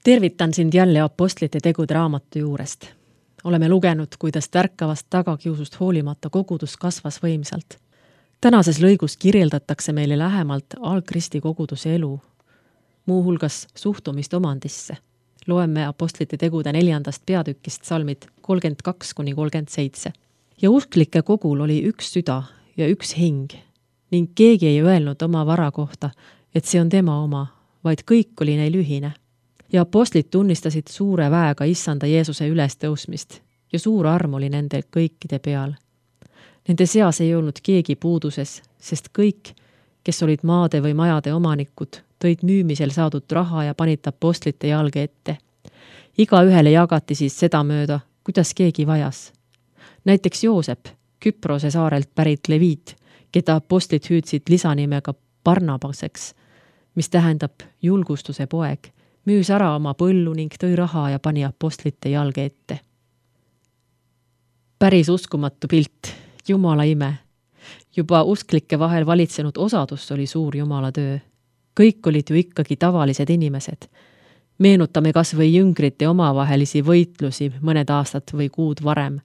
Tervitan sind jälle Apostlite tegude raamatu juurest. Oleme lugenud, kuidas tärkavast tagakiusust hoolimata kogudus kasvas võimsalt. Tänases lõigus kirjeldatakse meile lähemalt algkristi koguduse elu, muuhulgas suhtumist omandisse. Loeme Apostlite tegude 4. peatükist salmid 32-37. Ja usklike kogul oli üks süda ja üks hing, ning keegi ei öelnud oma vara kohta, et see on tema oma, vaid kõik oli neil ühine. Ja apostlid tunnistasid suure väega issanda Jeesuse ülestõusmist ja suur arm oli nende kõikide peal. Nende seas ei olnud keegi puuduses, sest kõik, kes olid maade või majade omanikud, tõid müümisel saadud raha ja panid apostlite jalge ette. Igaühele jagati siis seda mööda, kuidas keegi vajas. Näiteks Joosep, Küprose saarelt pärit leviit, keda apostlid hüüdsid lisanimega Barnabaseks, mis tähendab julgustuse poeg, müüs ära oma põllu ning tõi raha ja pani apostlite jalge ette. Päris uskumatu pilt, Jumala ime. Juba usklike vahel valitsenud osadus oli suur Jumala töö. Kõik olid ju ikkagi tavalised inimesed. Meenutame kas või jüngrite omavahelisi võitlusi mõned aastad või kuud varem,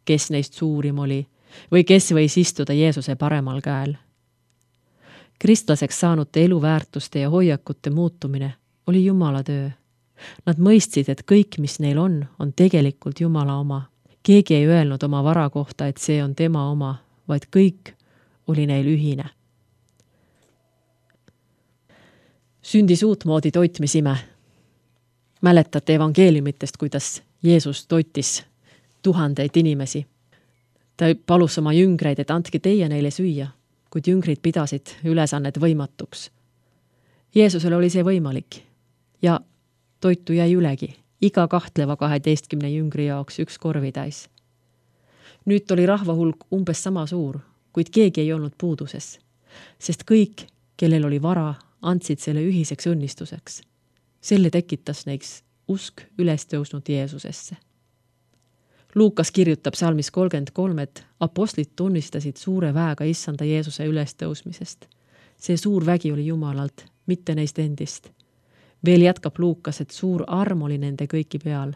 kes neist suurim oli või kes võis istuda Jeesuse paremal käel. Kristlaseks saanute eluväärtuste ja hoiakute muutumine oli Jumala töö. Nad mõistsid, et kõik, mis neil on tegelikult Jumala oma. Keegi ei öelnud oma vara kohta, et see on tema oma, vaid kõik oli neil ühine. Sündis uutmoodi toitmisime. Mäletate evangeeliumitest, kuidas Jeesus toitis tuhandeid inimesi. Ta palus oma jüngreid, et andke teie neile süüa, kuid jüngrid pidasid ülesannet võimatuks. Jeesusele oli see võimalik ja toitu jäi ülegi, iga kahtleva 12 jüngri jaoks üks korvitäis. Nüüd oli rahva hulk umbes sama suur, kuid keegi ei olnud puuduses, sest kõik, kellel oli vara, andsid selle ühiseks õnnistuseks. Selle tekitas neiks usk ülestõusnud Jeesusesse. Luukas kirjutab salmis 33, et apostlid tunnistasid suure väega issanda Jeesuse ülestõusmisest. See suur vägi oli Jumalalt, mitte neist endist. Veel jätkab Luukas, et suur arm oli nende kõiki peal.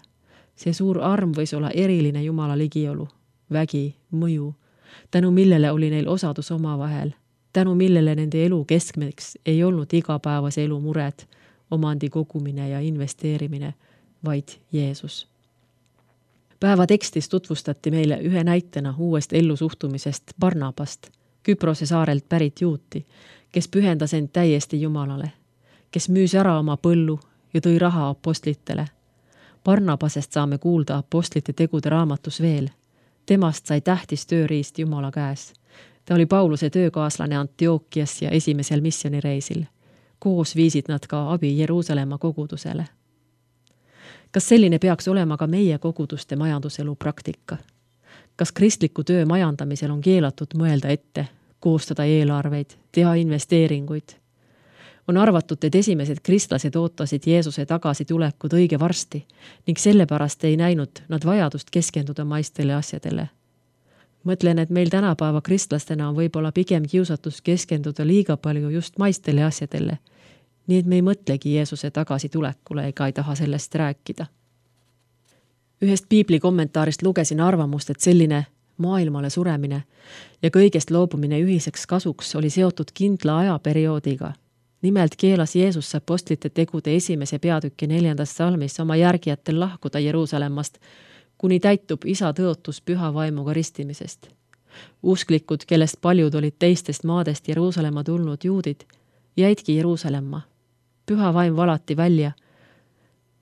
See suur arm võis olla eriline Jumala ligiolu, vägi, mõju, tänu millele oli neil osadus omavahel, tänu millele nende elu keskmeks ei olnud igapäevase elu mured, omandi kogumine ja investeerimine, vaid Jeesus. Päeva tekstis tutvustati meile ühe näitena uuest ellusuhtumisest Barnabast, Küprose saarelt pärit juuti, kes pühendas end täiesti Jumalale, kes müüs ära oma põllu ja tõi raha apostlitele. Barnabasest saame kuulda Apostlite tegude raamatus veel. Temast sai tähtis tööriist Jumala käes. Ta oli Pauluse töökaaslane Antiokias ja esimesel missionireisil. Koos viisid nad ka abi Jeruusalemma kogudusele. Kas selline peaks olema ka meie koguduste majanduselu praktika? Kas kristliku töö majandamisel on keelatud mõelda ette, koostada eelarveid, teha investeeringuid? On arvatud, et esimesed kristlased ootasid Jeesuse tagasitulekut õige varsti ning sellepärast ei näinud nad vajadust keskenduda maistele asjadele. Mõtlen, et meil tänapäeva kristlastena on võib-olla pigem kiusatus keskenduda liiga palju just maistele asjadele, nii et me ei mõtlegi Jeesuse tagasitulekule ega ei taha sellest rääkida. Ühest piibli kommentaarist lugesin arvamust, et selline maailmale suremine ja kõigest loobumine ühiseks kasuks oli seotud kindla ajaperioodiga. Nimelt keelas Jeesus apostlite tegude 1. peatüki 4. salmis oma järgijatel lahkuda Jeruusalemmast, kuni täitub isa tõotus püha vaimuga ristimisest. Usklikud, kellest paljud olid teistest maadest Jeruusalemma tulnud juudid, jäidki Jeruusalemma. Püha vaim valati välja,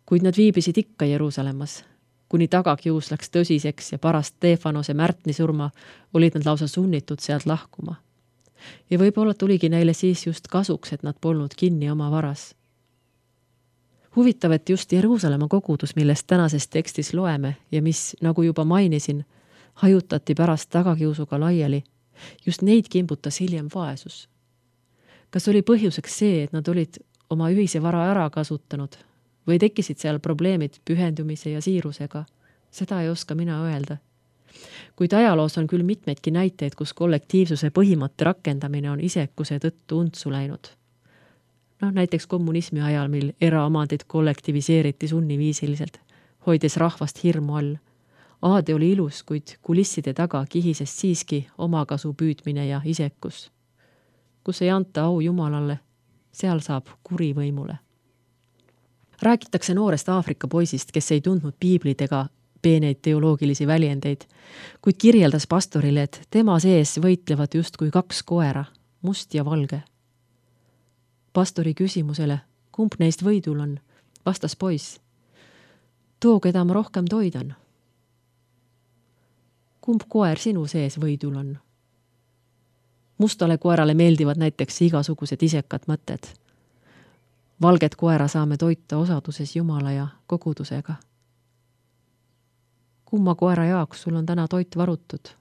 kuid nad viibisid ikka Jeruusalemmas. Kuni tagakius läks tõsiseks ja pärast Stefanose Märtni surma olid nad lausa sunnitud sealt lahkuma. Ja võib-olla tuligi neile siis just kasuks, et nad polnud kinni oma varas. Huvitav, et just Jeruusalemma kogudus, millest tänases tekstis loeme ja mis, nagu juba mainisin, hajutati pärast tagakiusuga laiali, just neid kimbutas hiljem vaesus. Kas oli põhjuseks see, et nad olid oma ühise vara ära kasutanud või tekkisid seal probleemid pühendumise ja siirusega? Seda ei oska mina öelda. Kuid ajaloos on küll mitmeidki näiteid, kus kollektiivsuse põhimõtte rakendamine on isekuse tõttu untsu läinud. Näiteks kommunismi ajal, mil eraomandid kollektiviseeriti sunniviisiliselt, hoides rahvast hirmu all. Aade oli ilus, kuid kulisside taga kihises siiski omakasu püüdmine ja isekus. Kus ei anta au Jumalale, seal saab kuri võimule. Räägitakse noorest Aafrika poisist, kes ei tundnud piiblid ega peeneid teoloogilisi väljendeid, kuid kirjeldas pastorile, et tema sees võitlevad justkui 2 koera, must ja valge. Pastori küsimusele, kumb neist võidul on, vastas poiss: too, keda ma rohkem toidan. Kumb koer sinu sees võidul on? Mustale koerale meeldivad näiteks igasugused isekad mõtted. Valget koera saame toita osaduses Jumala ja kogudusega. Kumma koera jaoks sul on täna toit varutud?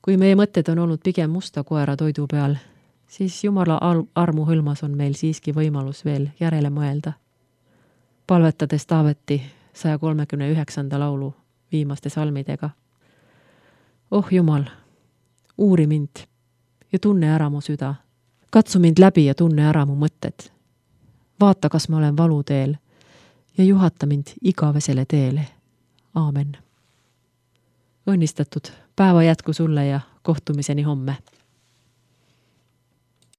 Kui meie mõtted on olnud pigem musta koera toidu peal, siis Jumala armu hõlmas on meil siiski võimalus veel järele mõelda. Palvetades Taaveti 139. laulu viimaste salmidega. Oh Jumal, uuri mind ja tunne ära mu süda. Katsu mind läbi ja tunne ära mu mõtted. Vaata, kas ma olen valuteel ja juhata mind igavesele teele. Aamen. Õnnistatud päeva jätku sulle ja kohtumiseni homme.